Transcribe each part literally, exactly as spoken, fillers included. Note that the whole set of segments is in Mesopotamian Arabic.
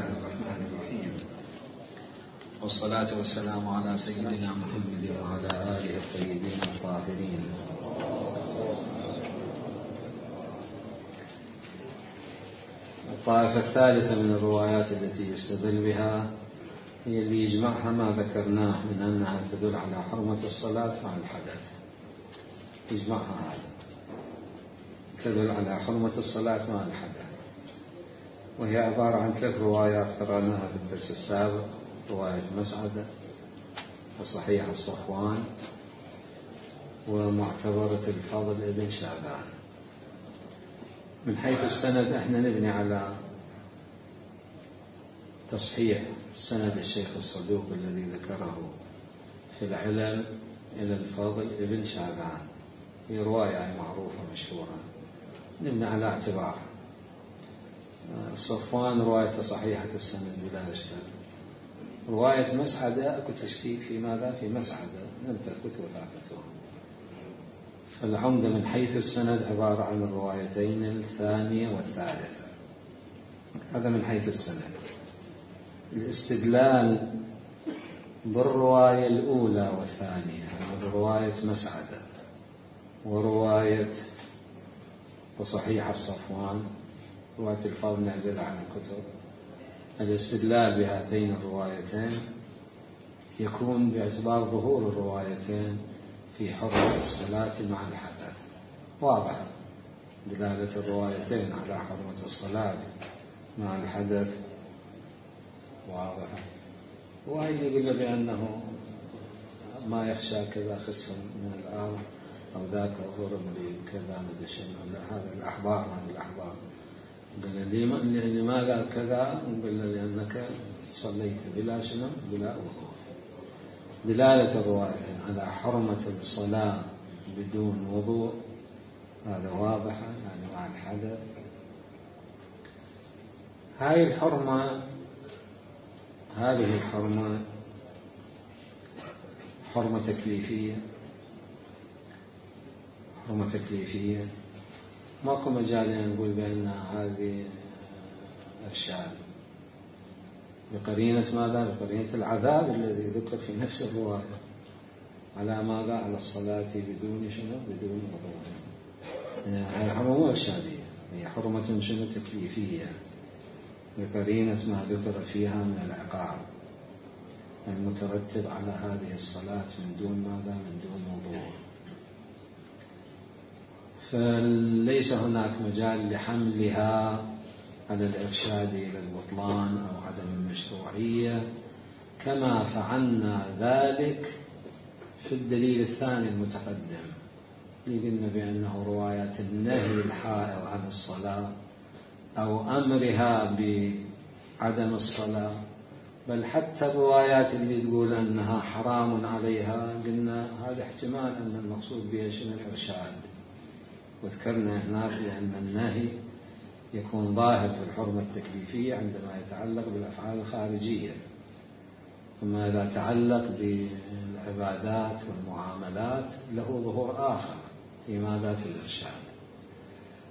الله الرحمن الرحيم، والصلاة والسلام على سيدنا محمد وعلى آله الطيبين الطاهرين. الطائفة الثالثة من الروايات التي يستدل بها هي اللي يجمعها ما ذكرناه من أنها تدل على حرمة الصلاة مع الحدث. يجمعها هذا تدل على حرمة الصلاة مع الحدث، وهي عبارة عن ثلاث روايات قرأناها في الدرس السابق: رواية مسعدة، وصحيح الصفوان، ومعتبرة الفضل ابن شعبان. من حيث السند احنا نبني على تصحيح سند الشيخ الصدوق الذي ذكره في العلل إلى الفضل ابن شعبان، هي رواية معروفة مشهورة نبني على اعتبار. الصفوان رواية صحيحة السند بلا إشكال. رواية مسعدة أكو تشكيك في ماذا؟ في مسعدة لم تثبت وثاقته. فالعمدة من حيث السند عبارة عن الروايتين الثانية والثالثة، هذا من حيث السند. الاستدلال بالرواية الأولى والثانية، برواية مسعدة ورواية وصحيح الصفوان، رواية الفضل نعزل عن الكتب، الاستدلال بهاتين الروايتين يكون باعتبار ظهور الروايتين في حرمة الصلاة مع الحدث. واضح دلالة الروايتين على حرمة الصلاة مع الحدث واضح. وهي يقول بأنه ما يخشى كذا خسف من الأرض أو ذاك ضرب لي كذا مدري شنو، لا هذا الأحبار هذا الأحبار. قال لي لماذا كذا؟ قال لأنك صليت بلا شنو بلا وضوء. دلالة الروايتين على حرمة الصلاة بدون وضوء هذا واضحة، يعني مع الحدث. هاي الحرمة هذه الحرمة حرمة تكليفية، حرمة تكليفية ماكو مجال أن نقول بأن هذه إرشاد بقرينة ماذا؟ بقرينة العذاب الذي ذكر في نفس الرواية على ماذا؟ على الصلاة بدون شنو؟ بدون وضوء. هي حرمة إرشادية، هي حرمة شنو؟ تكليفية بقرينة ما ذكر فيها من العقاب المترتب على هذه الصلاة من دون ماذا؟ من دون وضوء. فليس هناك مجال لحملها على الإرشاد إلى البطلان أو عدم المشروعية، كما فعلنا ذلك في الدليل الثاني المتقدم اللي قلنا بأنه روايات النهي الحائض عن الصلاة أو أمرها بعدم الصلاة، بل حتى الروايات اللي تقول أنها حرام عليها قلنا هذا احتمال أن المقصود بها شنو؟ الإرشاد. وذكرنا هناك بأن النهي يكون ظاهر في الحرمة التكليفية عندما يتعلق بالأفعال الخارجية، أما إذا تعلق بالعبادات والمعاملات له ظهور آخر في ماذا؟ في الإرشاد.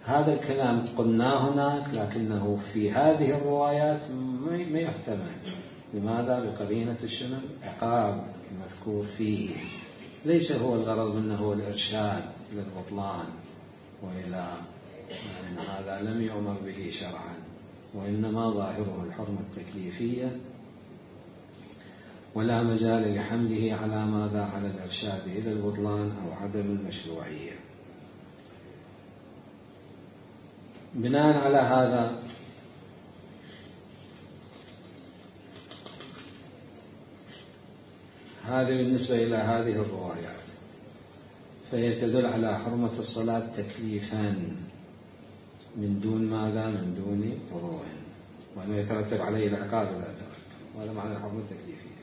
هذا الكلام قلناه هناك، لكنه في هذه الروايات ما يحتمل. لماذا؟ بقرينة الشنو؟ عقاب المذكور فيه. ليس هو الغرض منه هو الإرشاد إلى البطلان وإلى أن هذا لم يؤمر به شرعا، وإنما ظاهره الحرمة التكليفية، ولا مجال لحمله على ماذا؟ على الإرشاد إلى البطلان أو عدم المشروعية. بناء على هذا هذه بالنسبة إلى هذه الروايات، فهي تدل على حرمة الصلاة تكليفا من دون ماذا؟ من دون وضوء، وأنه يترتب عليه العقاب إذا ترتب، وهذا معنى الحرمة التكليفية.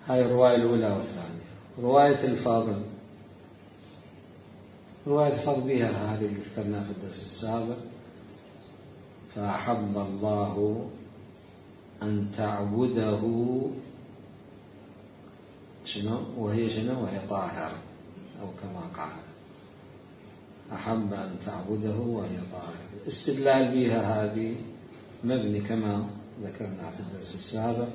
هاي الرواية الأولى والثانية. رواية الفاضل، رواية الفاضل بها هذه اللي ذكرناها في الدرس السابق: فأحب الله أن تعبده شنو؟ وهي شنو؟ وهي طاهر، أو كما قال أحب أن تعبده وهي طاهر. استدلال بها هذه مبني كما ذكرنا في الدرس السابق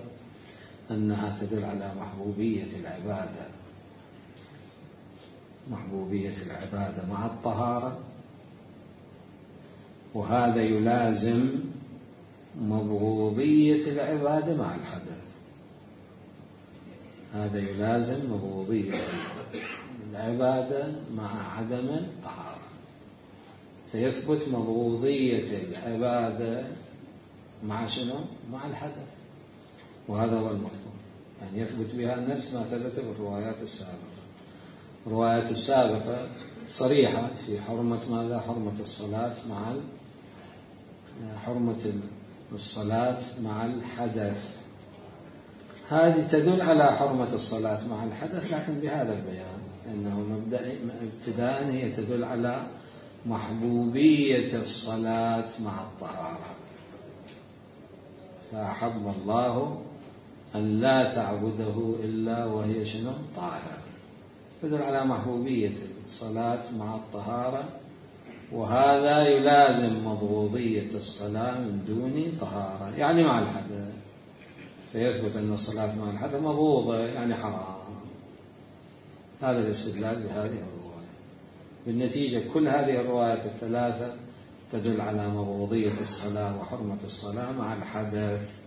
أنها تدل على محبوبية العبادة محبوبية العبادة مع الطهارة، وهذا يلازم مبغوضية العبادة مع الحدث. هذا يلازم مبغوضية العبادة مع عدم الطهارة، فيثبت مبغوضية العبادة مع شنو؟ مع الحدث، وهذا هو المطلوب، يعني يثبت بها نفس ما ثبت بالروايات السابقة. الروايات السابقة صريحة في حرمة ماذا؟ حرمة الصلاة مع حرمة الصلاة مع الحدث. هذه تدل على حرمة الصلاة مع الحدث لكن بهذا البيان، أنه مبدأ ابتداء هي تدل على محبوبية الصلاة مع الطهارة، فأحب الله أن لا تعبده إلا وهي شنو؟ طاهرة. تدل على محبوبية الصلاة مع الطهارة، وهذا يلازم مبغوضية الصلاة من دون طهارة، يعني مع الحدث، فيثبت أن الصلاة مع الحدث مبغوضة يعني حرام. هذا الاستدلال بهذه الرواية. بالنتيجة كل هذه الروايات الثلاثة تدل على مبغوضية الصلاة وحرمة الصلاة مع الحدث.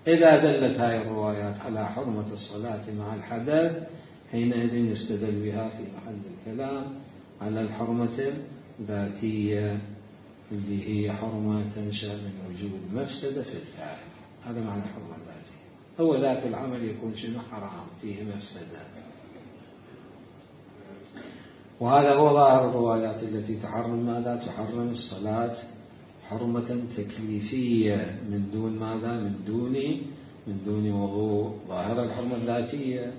إذا دلت هذه الروايات على حرمة الصلاة مع الحدث حينئذ يستدل بها في محل الكلام على الحرمة الذاتية اللي هي حرمة تنشأ من وجود مفسدة في الفاعل. هذا معنى الحرمة الذاتية. هو ذات العمل يكون شنو؟ حرام، فيه مفسدة. وهذا هو ظاهر الروايات التي تحرم ماذا؟ تحرم الصلاة حرمة تكليفية من دون ماذا؟ من دون من دون وضوء، ظاهر الحرمة الذاتية.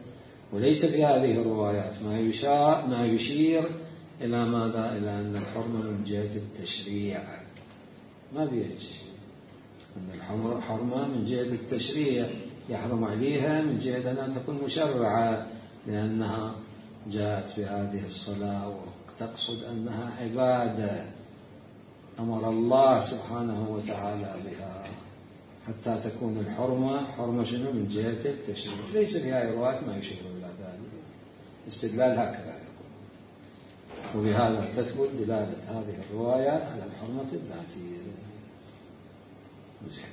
وليس في هذه الروايات ما يشار ما يشير إلى ماذا؟ إلى أن الحرمة من جهة التشريع، ما بيها شيء. أن الحرمة من جهة التشريع يحرم عليها من جهة أنها تكون مشرعة، لأنها جاءت في هذه الصلاة وتقصد أنها عبادة أمر الله سبحانه وتعالى بها، حتى تكون الحرمة حرمة شنو؟ من جهة التشريع. ليس في هذه الروايات ما يشير إلى ذلك. استدلال هكذا يقول، وبهذا تثبت دلالة هذه الروايات على الحرمة الذاتية. زين،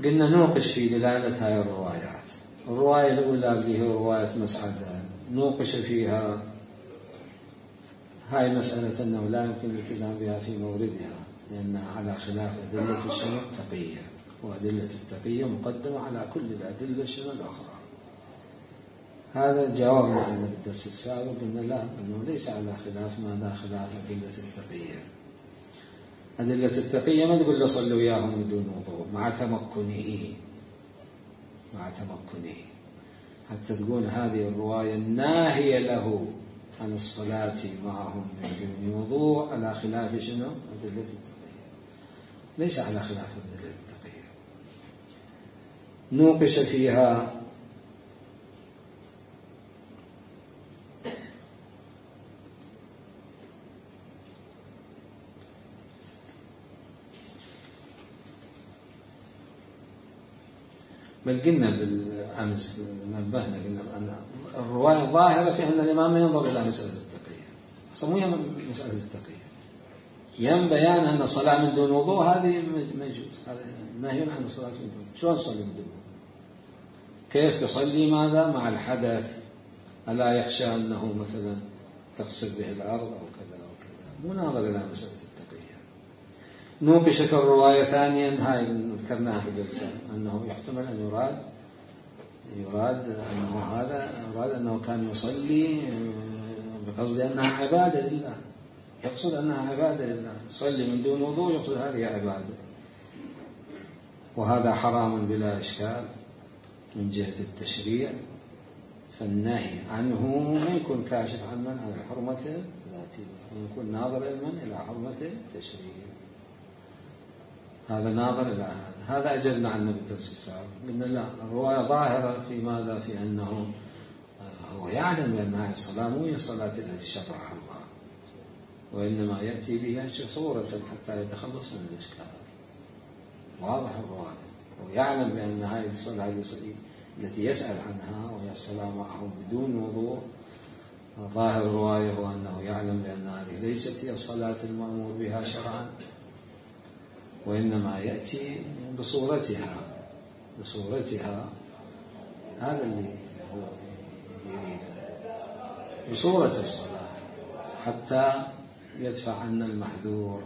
قلنا نوقش في دلالة هذه الروايات. الرواية الأولى اللي هي رواية مسعدة نوقش فيها هاي مسألة أنه لا يمكن الالتزام بها في موردها، لأنها على خلاف أدلة الشنو؟ التقية، وأدلة التقية مقدمة على كل الأدلة الشنو الأخرى. هذا جاوبنا عنه بالدرس السابق، قلنا لا، أنه ليس على خلاف ماذا؟ خلاف أدلة التقية. أدلة التقية ما تقول له صلوا وياهم من دون وضوء مع تمكنه مع تمكنه حتى تكون هذه الرواية الناهية له عن الصلاة معهم من دون وضوء على خلاف شنو؟ أدلة التقية. ليس على خلاف أدلة التقية. نوقش فيها بل قلنا بالأمس نبهنا قلنا أن الرواية ظاهرة في أن الإمام ينظر إلى مسألة التقية، أصلا مو هي مسألة التقية، يم بيان أن الصلاة من دون وضوء هذه ما يجوز، هذا نهي عن الصلاة من دون. شلون تصلي من دون وضوء؟ كيف تصلي ماذا؟ مع الحدث، ألا يخشى أنه مثلا تغسل به الأرض أو كذا أو كذا، مو ناظر إلى مسألة التقية. نوقشت الرواية ثانيا، هاي ذكرناها في الجلسة، أنه يحتمل أن يراد يراد أنه هذا يراد أنه كان يصلي بقصد أنها عبادة لله، يقصد أنها عبادة لله، يصلي من دون وضوء يقصد هذه عبادة، وهذا حرام بلا إشكال من جهة التشريع. فالنهي عنه ما يكون كاشف عن من عن الحرمة الذاتية، ويكون ناظر إلى إلى حرمة التشريع. هذا ناظر إلى هذا. هذا أجبنا عنه بالدرس السابق، قلنا لا، الرواية ظاهرة في ماذا؟ في أنه هو يعلم بأن هذه الصلاة مو هي الصلاة التي شرعها الله، وإنما يأتي بها صورة حتى يتخلص من الإشكال. واضح الرواية، ويعلم بأن هذه الصلاة التي يسأل عنها وهي الصلاة معه بدون وضوء، ظاهر الرواية هو أنه يعلم بأن هذه ليست هي الصلاة المأمور بها شرعا، وإنما يأتي بصورتها بصورتها هذا اللي هو يريد، بصورة الصلاة، حتى يدفع عنا المحذور.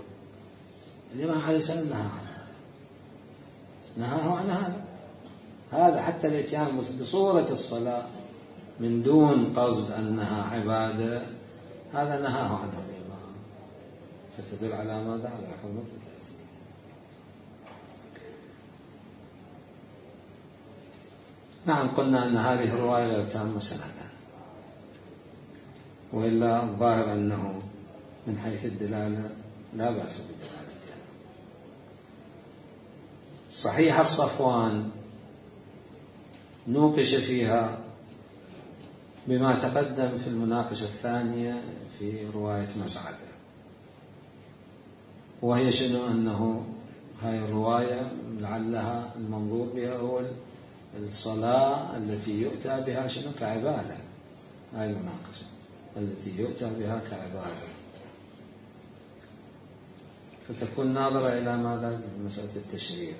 الإمام عليه السلام نهى عنها، نهاه عن هذا هذا حتى الاتيان بصورة الصلاة من دون قصد أنها عبادة، هذا نهاه عنه الإمام، فتدل على ماذا؟ على حرمة الذاتية. نعم، قلنا أن هذه الرواية لا تتم سندا، وإلا الظاهر أنه من حيث الدلالة لا بأس بدلالتها. صحيح الصفوان نوقش فيها بما تقدم في المناقشة الثانية في رواية مسعدة، وهي شنو؟ أنه هاي الرواية لعلها المنظور بها هو الصلاة التي يؤتى بها شنو؟ كعبادة. هاي المناقشة التي يؤتى بها كعبادة، فتكون ناظرة إلى ماذا؟ مسألة التشريع،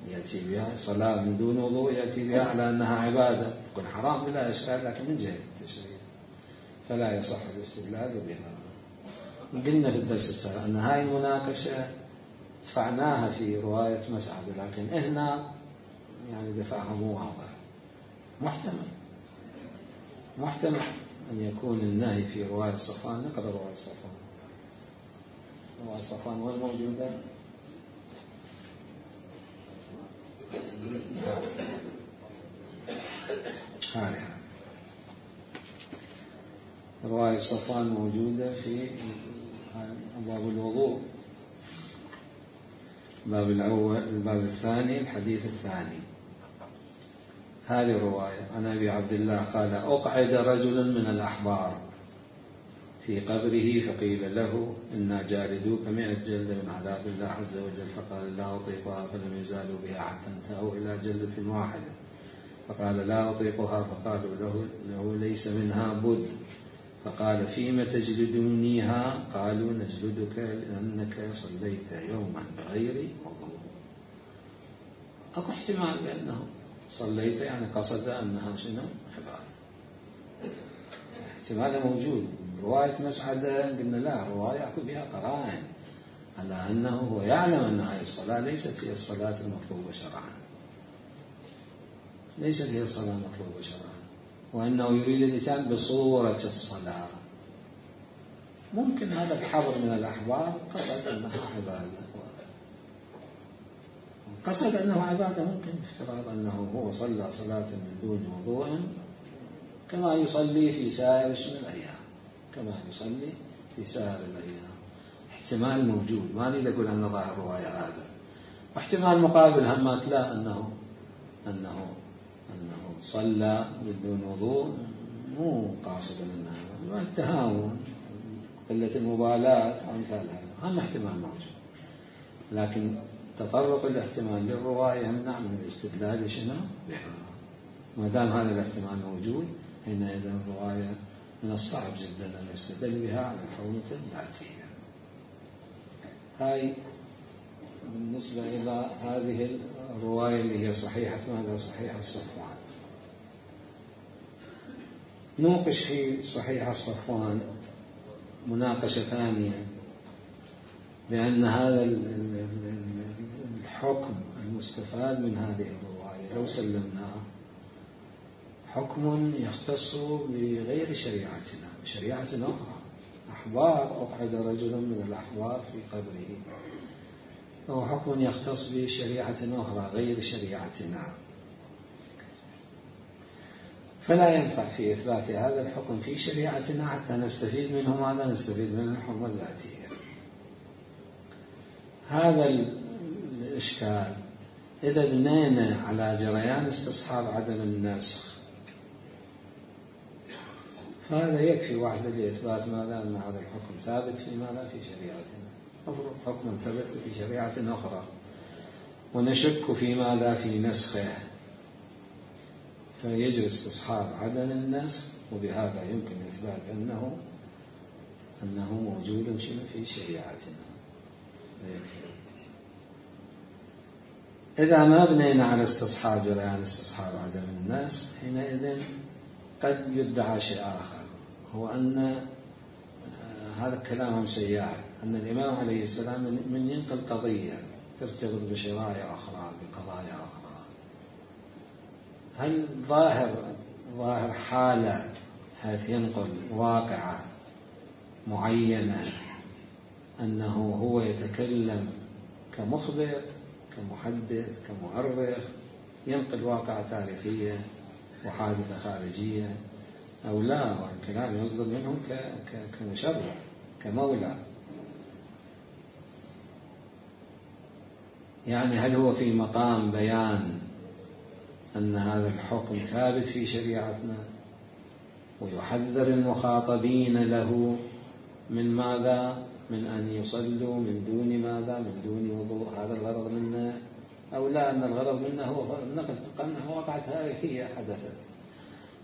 يأتي بها صلاة من دون وضوء، يأتي بها على أنها عبادة، تكون حرام بلا إشكال، لكن من جهة التشريع فلا يصح الاستدلال بها. قلنا في الدرس السابق أن هاي المناقشة دفعناها في رواية مسعد، لكن هنا يعني دفعها مو واضح، محتمل محتمل أن يكون النهي في رواية صفوان. نقرأ رواية صفوان. رواية صفوان وين موجودة؟ هذه رواية صفوان موجودة في باب الوضوء، الباب الأول، الباب الثاني، الحديث الثاني. هذه الرواية عن أبي عبد الله قال: أقعد رجل من الأحبار في قبره فقيل له: إنا جالدوك مئة جلدة من عذاب الله عز وجل، فقال: لا أطيقها، فلم يزالوا بها حتى انتهوا إلى جلدة واحدة، فقال: لا أطيقها، فقالوا له, له ليس منها بد، فقال: فيما تجلدونيها؟ قالوا: نجلدك لأنك صليت يوما بغير وضوء. أكو احتمال بأنه صليت يعني قصد أنها شنو؟ عبادة، احتمال موجود. رواية مسعدة قلنا لا، رواية أكو بها قرائن على أنه هو يعلم أن هذه الصلاة ليست هي الصلاة المطلوبة شرعا، ليست هي الصلاة المطلوبة شرعا، وأنه يريد الإتيان بصورة الصلاة. ممكن هذا الحبر من الأحبار قصد أنها عبادة، قصد أنه عبادة، ممكن افتراض أنه هو صلى صلاة من دون وضوء كما يصلي في سائر الأيام، كما يصلي في سائر الأيام. احتمال موجود، ما نريد أقول أن ظاهر الرواية هذا، واحتمال مقابل همات لا، أنه أنه أنه صلى بدون وضوء مو قاصدا أنها التهاون، قلة المبالاة وأمثال هذا، هم احتمال موجود، لكن تطرق الاحتمال للرواية يمنع من الاستدلال شنو بها. ما دام هذا الاحتمال موجود، حينئذ الرواية من الصعب جدا أن يستدل بها على الحرمة الذاتية. هاي بالنسبة إلى هذه الرواية اللي هي صحيحة ماذا؟ صحيح الصفوان. نوقش في صحيح الصفوان مناقشة ثانية، بأن هذا الحكم المستفاد من هذه الرواية لو سلمناه حكم يختص بغير شريعتنا، بشريعة أخرى. أحبار، أقعد رجل من الأحبار في قبره، هو حكم يختص بشريعة أخرى غير شريعتنا، فلا ينفع في إثبات هذا الحكم في شريعتنا حتى نستفيد منه ماذا؟ نستفيد من الحرمة الذاتية. هذا الإشكال إذا بنينا على جريان استصحاب عدم النسخ، فهذا يكفي وحده لإثبات ماذا؟ أن هذا الحكم ثابت في ماذا؟ في شريعتنا. أفرض حكم ثبت في شريعة أخرى ونشك في ماذا في نسخه، فيجري استصحاب عدم النسخ، وبهذا يمكن إثبات أنه أنه موجود في شريعتنا. إذا ما بنينا على استصحاب جريان استصحاب عدم النسخ، حينئذ قد يدعى شيء آخر، هو أن هذا كلام سيار، أن الإمام عليه السلام من ينقل قضية ترتبط بشرائع أخرى بقضايا أخرى، هل ظاهر ظاهر حالة حيث ينقل واقعة معينة أنه هو يتكلم كمخبر كمحدث كمؤرخ، ينقل واقعة تاريخية وحادثة خارجية، أو لا والكلام يصدر منه كمشرع كمولى؟ يعني هل هو في مقام بيان أن هذا الحكم ثابت في شريعتنا ويحذر المخاطبين له من ماذا؟ من أن يصلوا من دون ماذا؟ من دون وضوء، هذا الغرض منه، أو لا أن الغرض منه هو نقل واقعة تاريخية حدثت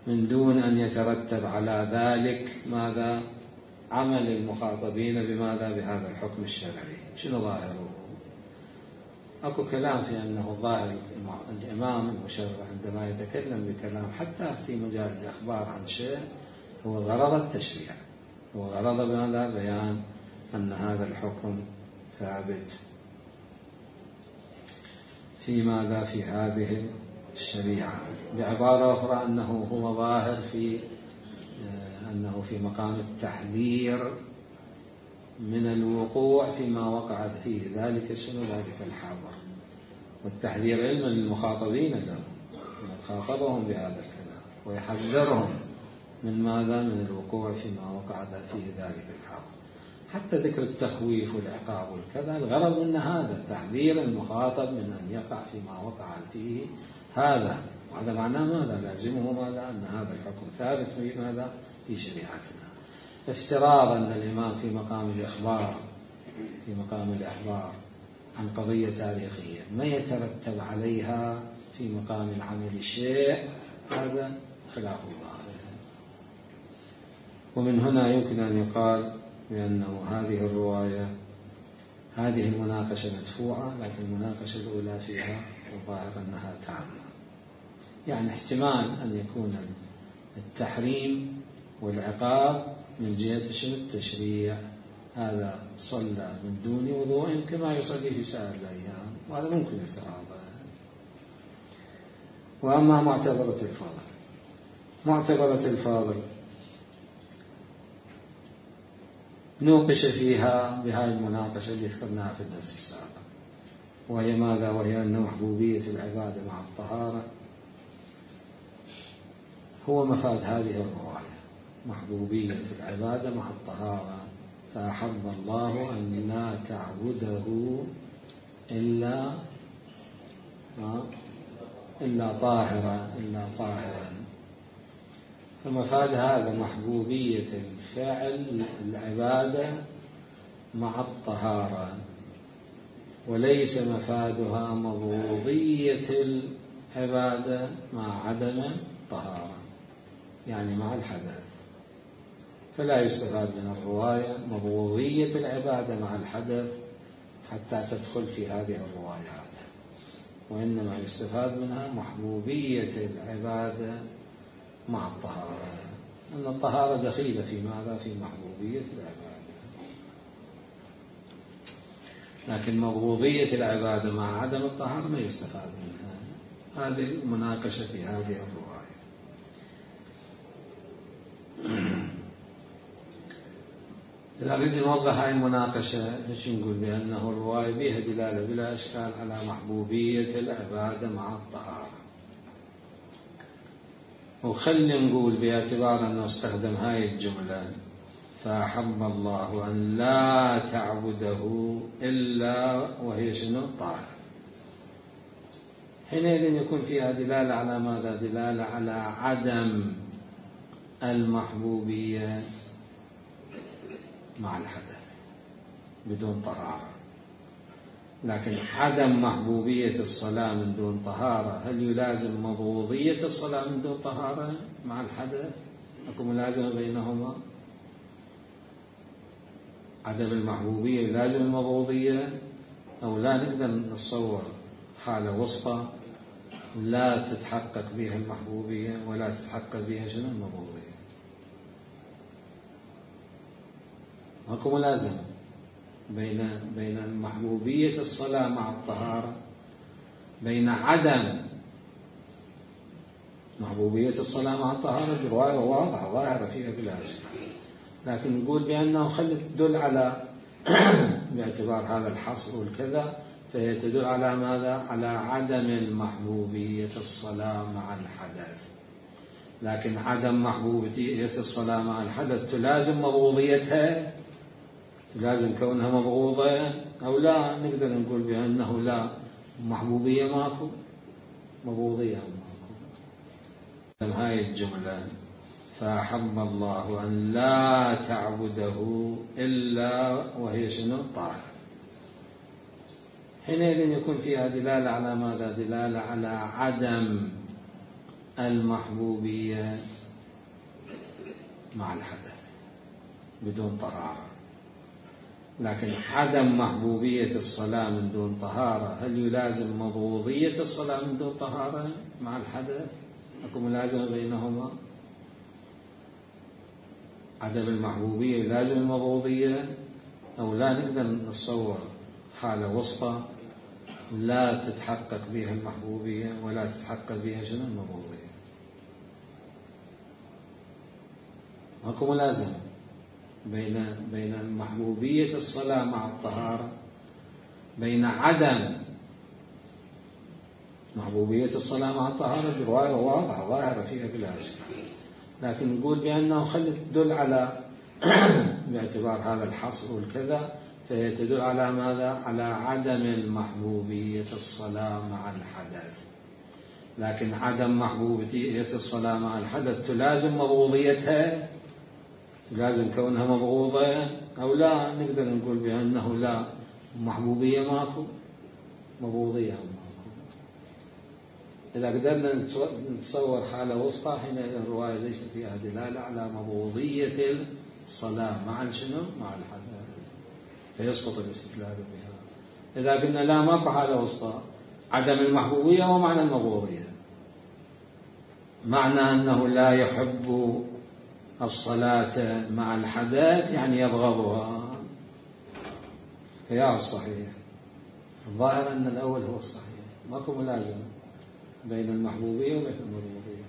من دون أن يترتب على ذلك ماذا؟ عمل المخاطبين بماذا؟ بهذا الحكم الشرعي. شنو ظاهره؟ أكو كلام في أنه ظاهر الإمام المشرع عندما يتكلم بكلام حتى في مجال الإخبار عن شيء هو غرض التشريع، هو غرض بماذا؟ بيان أن هذا الحكم ثابت في ماذا؟ في هذه الشريعة. بعبارة أخرى أنه هو ظاهر في أنه في مقام التحذير من الوقوع فيما وقع فيه ذلك شنو؟ ذلك الحاضر، والتحذير علما للمخاطبين له من خاطبهم بهذا الكلام ويحذرهم من ماذا؟ من الوقوع فيما وقع فيه ذلك الحاضر. حتى ذكر التخويف والعقاب والكذا الغرض من هذا تحذير المخاطب من أن يقع فيما وقع فيه هذا، وهذا معناه ماذا؟ لازمه ماذا؟ أن هذا الحكم ثابت في ماذا؟ في شريعتنا. افتراض أن الإمام في مقام الإخبار في مقام الإخبار عن قضية تاريخية ما يترتب عليها في مقام العمل شيء، هذا خلاف الظاهر. ومن هنا يمكن أن يقال بأنه هذه الرواية هذه المناقشة مدفوعة، لكن المناقشة الأولى فيها الظاهر أنها تامة. يعني احتمال أن يكون التحريم والعقاب من جهة شنو؟ التشريع، هذا صلى من دون وضوء كما يصلي في سائر الأيام، وهذا ممكن افتراضه. وأما معتبرة الفاضل، معتبرة الفاضل نوقش فيها بهذه المناقشة اللي ذكرناها في الدرس السابق، وهي ماذا؟ وهي أن محبوبية العبادة مع الطهارة هو مفاد هذه الرواية، محبوبية العبادة مع الطهارة. فأحب الله أن لا تعبده إلا إلا طاهرا إلا طاهرا. فمفاد هذا محبوبية الفعل العبادة مع الطهارة، وليس مفادها مبغوضية العبادة مع عدم الطهارة، يعني مع الحدث. فلا يستفاد من الرواية مبغوضية العبادة مع الحدث حتى تدخل في هذه الروايات، وإنما يستفاد منها محبوبية العبادة مع الطهارة، أن الطهارة دخيلة في ماذا؟ في محبوبية العبادة. لكن مبغوضية العبادة مع عدم الطهارة ما يستفاد منها. هذه المناقشة في هذه الرواية. إذا أريد نوضح هذه المناقشة إيش نقول؟ بأنه الرواية بها دلالة بلا إشكال على محبوبية العبادة مع الطهارة. وخلي نقول باعتبار أنه استخدم هاي الجملة فأحب الله أن لا تعبده إلا وهي شنو؟ طاهر. حينئذ يكون فيها دلالة على ماذا؟ دلالة على عدم المحبوبية مع الحدث بدون طهارة. لكن عدم محبوبية الصلاة من دون طهارة هل يلازم مبغوضية الصلاة من دون طهارة مع الحدث؟ أكو ملازمة بينهما؟ عدم المحبوبية يلازم المبغوضية، أو لا نقدر نتصور حالة وسطى لا تتحقق بها المحبوبية ولا تتحقق بها شنو المبغوضية؟ أكو ملازمة بين بين محبوبية الصلاة مع الطهارة، بين عدم محبوبية الصلاة مع الطهارة برواية واضحة ظاهرة فيها بلا إشكال، لكن نقول بأنه خلت تدل على باعتبار هذا الحصر والكذا، فهي تدل على ماذا؟ على عدم المحبوبية الصلاة مع الحدث. لكن عدم محبوبية الصلاة مع الحدث تلازم مبغوضيتها، تلازم كونها مبغوضة أو لا؟ نقدر نقول بأنه لا، محبوبية ماكو، مبغوضية ماكو. هاي الجملة فأحب الله أن لا تعبده إلا وهي شنو؟ طاهر. حينئذ يكون فيها دلالة على ماذا؟ دلالة على عدم المحبوبية مع الحدث بدون طهارة. لكن عدم محبوبية الصلاة من دون طهارة هل يلازم مبغوضية الصلاة من دون طهارة مع الحدث؟ أكو ملازمة بينهما؟ عدم المحبوبية يلازم المبغوضية، أو لا نقدر نتصور حالة وسطى لا تتحقق بها المحبوبية ولا تتحقق بها شنو المبغوضية؟ أكو ملازمة بين بين محبوبية الصلاة مع الطهارة، بين عدم محبوبية الصلاة مع الطهارة برواية واضحة ظاهرة فيها بلا إشكال، لكن نقول بأنه خلت تدل على باعتبار هذا الحصر والكذا، فهي تدل على ماذا؟ على عدم المحبوبية الصلاة مع الحدث. لكن عدم محبوبية الصلاة مع الحدث تلازم مبغوضيتها، تلازم كونها مبغوضة أو لا؟ نقدر نقول بأنه لا، محبوبية ماكو، مبغوضية ماكو. إذا قدرنا نتصور حالة وسطى حينئذ الرواية ليس فيها دلالة على مبغوضية الصلاة مع شنو؟ مع الحدث، فيسقط الاستدلال بها. إذا قلنا لا ماكو حالة وسطى، عدم المحبوبية ومعنى المبغوضية، معنى أنه لا يحب الصلاة مع الحدث يعني يبغضها، فيا الصحيح. الظاهر أن الأول هو الصحيح، ماكو ملازمة بين المحبوبية وبين المبغوضية.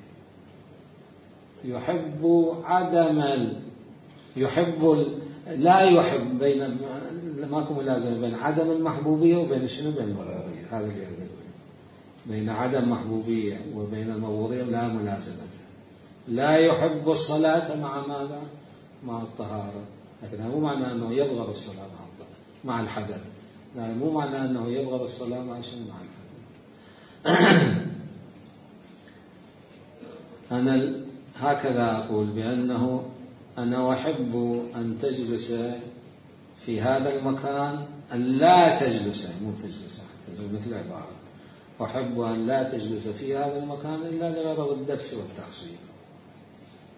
يحب عدم ال... يحب ال... لا يحب، بين ماكو ملازمة بين عدم المحبوبية وبين شنو؟ بين المبغوضية. هذا اللي يقول بين عدم محبوبية وبين المبغوضية لا ملازمة. لا يحب الصلاة مع ماذا؟ مع الطهارة، لكن مو معنى أنه يبغض الصلاة مع مع الحدث، لا، مو معنى أنه يبغض الصلاة مع شنو؟ مع الحدث. أنا هكذا أقول بأنه أنا أحب أن تجلس في هذا المكان، أن لا تجلس، مو تجلس مثل عبارة، أحب أن لا تجلس في هذا المكان إلا لغرض الدرس والتحصيل،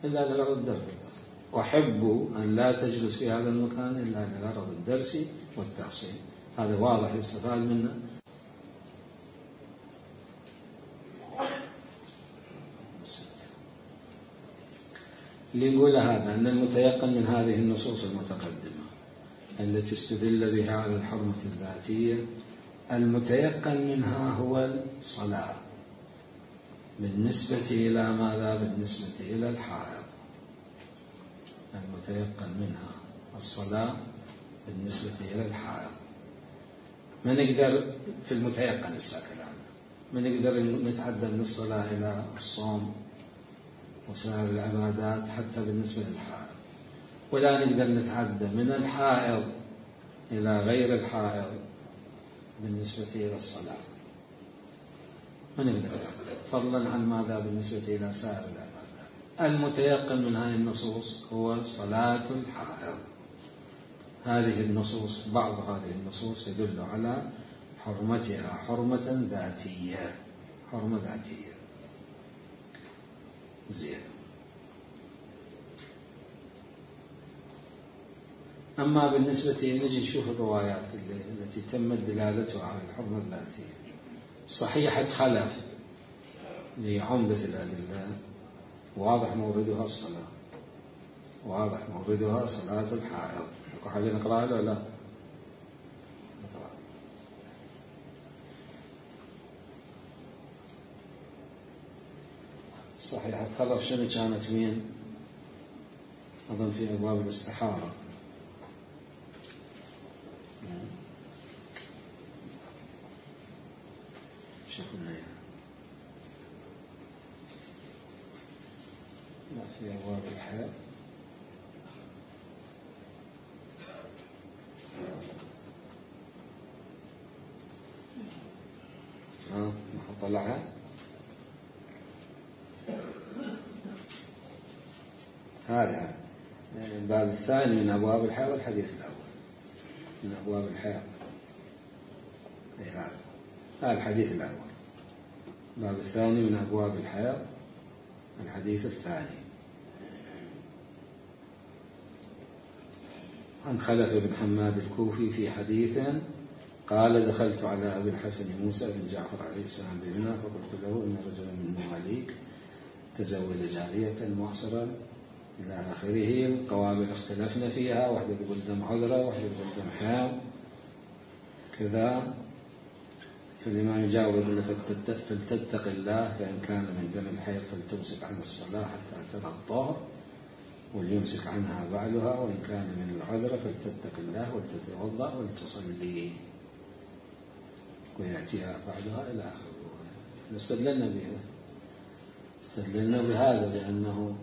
إلا لغرض الدرس والتحصيل. أحب أن لا تجلس في هذا المكان إلا لغرض الدرس والتحصيل. هذا واضح يستفاد منه. اللي نقول هذا أن المتيقن من هذه النصوص المتقدمة التي استدل بها على الحرمة الذاتية، المتيقن منها هو الصلاة بالنسبة إلى ماذا؟ بالنسبة إلى الحائض. المتيقن منها الصلاة بالنسبة إلى الحائض. ما نقدر في المتيقن الساكن ما نقدر نتعدى من الصلاة إلى الصوم وسائر العبادات حتى بالنسبة للحائض، ولا نقدر نتعدى من الحائض إلى غير الحائض بالنسبة إلى الصلاة، ما نقدر نتعدى، فضلا عن ماذا؟ بالنسبة إلى سائر العبادات. المتيقن من هذه النصوص هو صلاة الحائض. هذه النصوص، بعض هذه النصوص يدل على حرمتها حرمة ذاتية، حرمة ذاتية. زين. أما بالنسبة نجي نشوف الروايات التي تمت دلالتها على الحرمة الذاتية. صحيحة خلف لعمدة الأدلة واضح موردها الصلاة، واضح موردها صلاة الحائض. أكو حاجة نقرأها ولا لا؟ نقرأ. صحيحة خلف شنو كانت مين؟ أظن في أبواب الاستحارة. شوفنا يعني. لا في أبواب الحياة. ها ما حطلعها. هذا الباب الثاني من أبواب الحياة، الحديث الأول من أبواب الحياة. هذا هذا الحديث الأول. الباب الثاني من أبواب الحياة، الحديث الثاني. عن خلف بن حماد الكوفي في حديث قال: دخلت على أبي الحسن موسى بن جعفر عليه السلام بمنى فقلت له إن رجلا من مواليك تزوج جارية معصرا إلى آخره. القوابل اختلفنا فيها، واحدة تقول دم عذرة، واحدة تقول دم حيض كذا. فالإمام يجاوب: فلتتق الله، فإن كان من دم الحيض فلتمسك عن الصلاة حتى ترى الطهر وليمسك عنها بعلها، وإن كان من العذر فلتتق الله ولتتوضأ ولتصلي ويأتيها بعدها إلى آخره. استدللنا بها استدللنا بهذا لأنه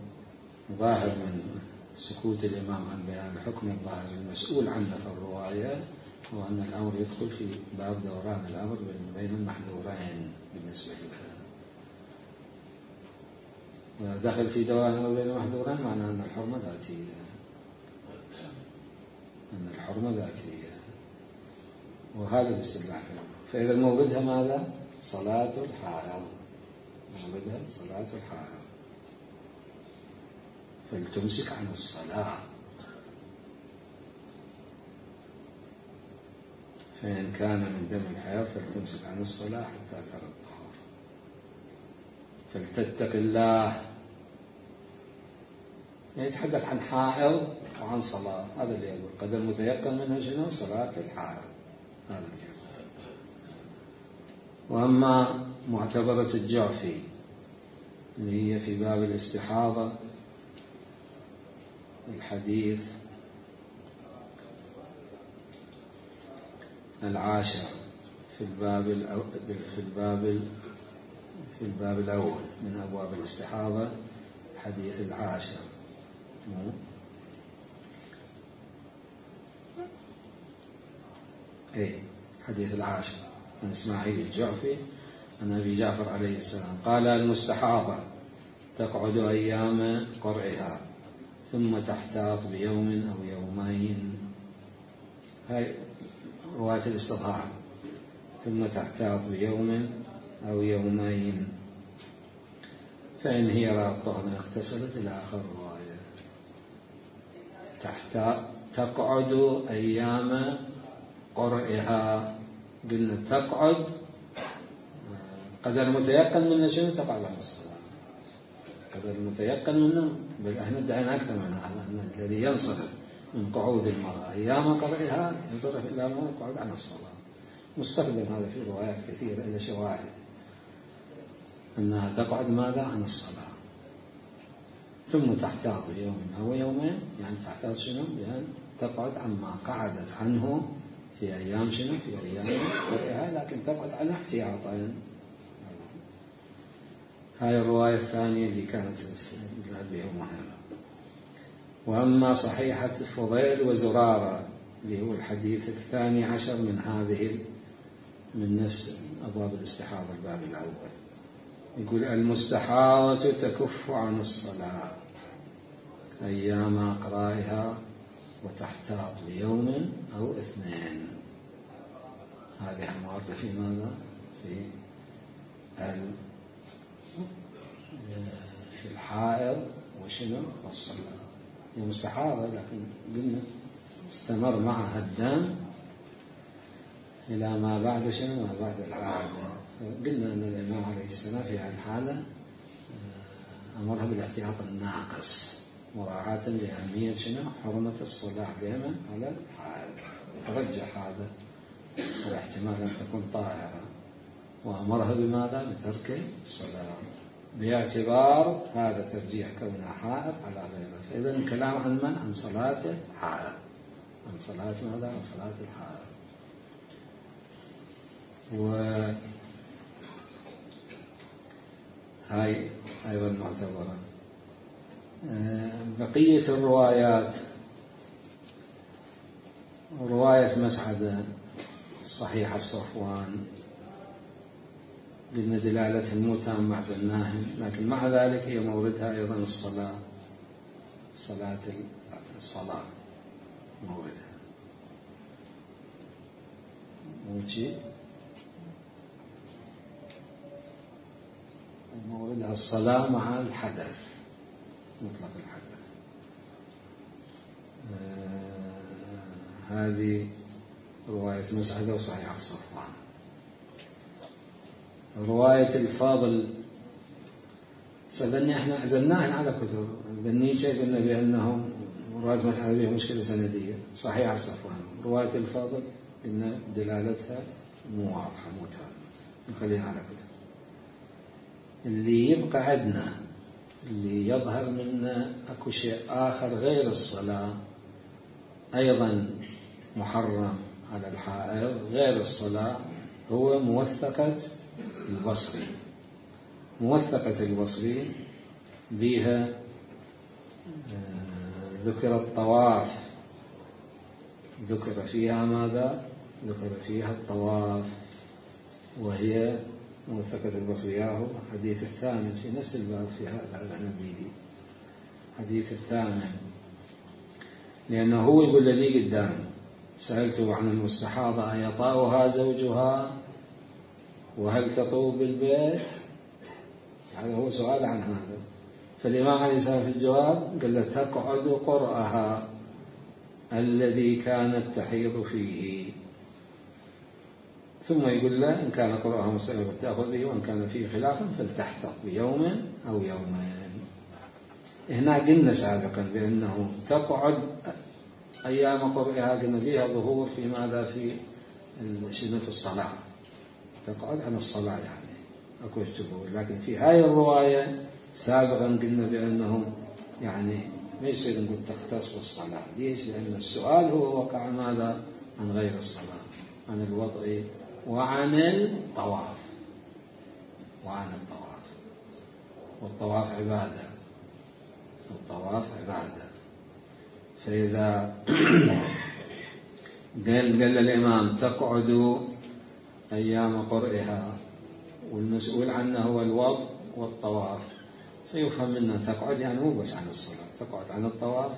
ظاهر من سكوت الإمام عن بيان الحكم الظاهر المسؤول عنه في الرواية هو أن الأمر يدخل في باب دوران الأمر بين المحذورين بالنسبة لهذا. ودخل في دوران الأمر بين المحذورين معناه أن الحرمة ذاتية، أن الحرمة ذاتية، وهذا الاستدلال. فإذا موردها ماذا؟ صلاة الحائض، موردها صلاة الحائض. فلتمسك عن الصلاة، فإن كان من دم الحيض فلتمسك عن الصلاة حتى ترى الطهر. فلتتق الله، يتحدث عن حائض وعن صلاة. هذا اللي يقول قدر متيقن منها شنو؟ صلاة الحائض. هذا اللي يقول. وأما معتبرة الجعفي اللي هي في باب الاستحاضة، الحديث العاشر في الباب في الباب في الباب الأول من أبواب الاستحاضة، الحديث العاشر. إيه الحديث العاشر من إسماعيل الجعفي عن أبي جعفر عليه السلام قال: المستحاضة تقعد أيام قرئها ثم تحتاط بيوم أو يومين. هاي رواية الاستظهار. ثم تحتاط بيوم أو يومين، فإن هي رأت طهرا اغتسلت إلى آخر الرواية. تحتاط تقعد أيام قرئها. قلنا تقعد قدر متيقن منه شنو؟ تقعد عن الصلاة. قدر متيقن منه، بل احنا ادعينا أكثر من هذا، أن الذي ينصرف من قعود المرأة أيام قرئها ينصرف إلى ما القعود عن الصلاة. مستخدم هذا في روايات كثيرة إلى شواهد أنها تقعد ماذا؟ عن الصلاة. ثم تحتاط يوم أو يومين، يعني تحتاط شنو؟ بأن تقعد عما قعدت عنه في أيام شنو؟ في أيام قرئها، لكن تقعد عنه احتياطا. هاي الرواية الثانية اللي كانت بها مهمة. وأما صحيحة فضيل وزرارة اللي هو الحديث الثاني عشر من هذه من نفس أبواب الاستحاضة الباب الأول، يقول: المستحاضة تكف عن الصلاة أيام أقرائها وتحتاط بيوم أو اثنين. هذه واردة في ماذا؟ في في الحائض وشنو؟ والصلاة. هي مستحاضة لكن قلنا استمر معها الدم إلى ما بعد شنو؟ ما بعد العادة. قلنا أن الإمام عليه السلام في هذه الحالة أمرها بالاحتياط الناقص مراعاة لأهمية شنو؟ حرمة الصلاة عليها على الحائض. ترجح هذا والاحتمال أن تكون طاهرة وأمرها بماذا؟ بترك الصلاة باعتبار هذا ترجيح كونها حائض على غيره. فإذا الكلام عن من؟ عن صلاة الحائض، عن صلاة ماذا؟ عن صلاة الحائض. وهاي أيضا معتبرة. بقية الروايات، رواية مسعدة صحيح الصفوان قلنا دلالتها مو تامة عزلناها، لكن مع ذلك هي موردها أيضا الصلاة، صلاة الصلاة موردها موجي موردها الصلاة مع الحدث، مطلق الحدث. آه هذه رواية مسعدة وصحيح الصفوان. رواية الفاضل سألني احنا عزلناها على كتب ذنيشة قلنا بأنهم رواية مسعدة بها مشكلة سندية، صحيح الصفوان. رواية الفاضل قلنا دلالتها مو واضحة مو تامة، نخليها على كتب. اللي يبقى عندنا اللي يظهر منا أكو شيء آخر غير الصلاة أيضا محرم على الحائض غير الصلاة، هو موثقة البصري. موثقة البصري بها ذكر الطواف، ذكر فيها ماذا؟ ذكر فيها الطواف، وهي موثقة البصري. هو حديث الثامن في نفس الباب في هذا النبيدي، حديث الثامن، لأنه هو يقول لي قدام سألته عن المستحاضة أيطاؤها زوجها وهل تطوب بالبيت؟ هذا هو سؤال عن هذا. فالإمام عليه السلام في الجواب قال له تقعد قرأها الذي كانت تحيض فيه، ثم يقول له إن كان قرأها مستمر تأخذ به، وإن كان فيه خلاف فلتحتط بيوم أو يومين. هنا قلنا سابقا بأنه تقعد أيام قرئها قلنا فيها ظهور في ماذا؟ في شنو؟ في الصلاة، تقعد عن الصلاة يعني أكو ظهور. لكن في هاي الرواية سابقا قلنا بأنه يعني ما يصير نقول تختص بالصلاة. ليش؟ لأن السؤال هو وقع ماذا؟ عن غير الصلاة، عن الوضع وعن الطواف، وعن الطواف. والطواف عبادة، الطواف عبادة. فإذا قال قال الإمام تقعد أيام قرئها والمسؤول عنه هو الوضع والطواف، فيفهم منه تقعد يعني مو بس عن الصلاة، تقعد عن الطواف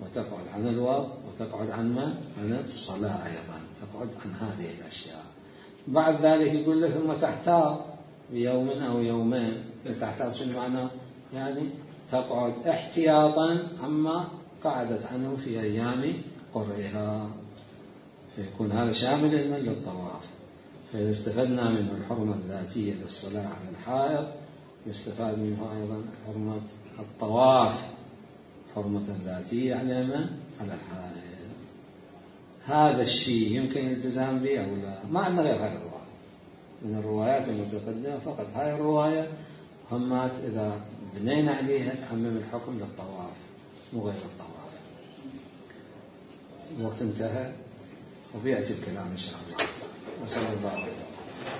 وتقعد عن الوضع وتقعد عن ما؟ عن الصلاة أيضا، تقعد عن هذه الأشياء. بعد ذلك يقول له ثم تحتاط بيوم أو يومين. تحتاط شنو معنى؟ يعني تقعد احتياطا عما قعدت عنه في أيام قرئها، فيكون هذا شاملا للطواف. فإذا استفدنا منه الحرمة الذاتية للصلاة على الحائض، يستفاد منه أيضا حرمة الطواف، حرمة ذاتية على من؟ على الحائض. هذا الشيء يمكن الالتزام به أو لا؟ ما عندنا غير هذه الرواية من الروايات المتقدمة، فقط هاي الرواية همات إذا بنينا عليها تعمم الحكم للطواف مو غير الطواف. الوقت انتهى وبيأتي الكلام إن شاء الله. وصلى الله عليه وسلم.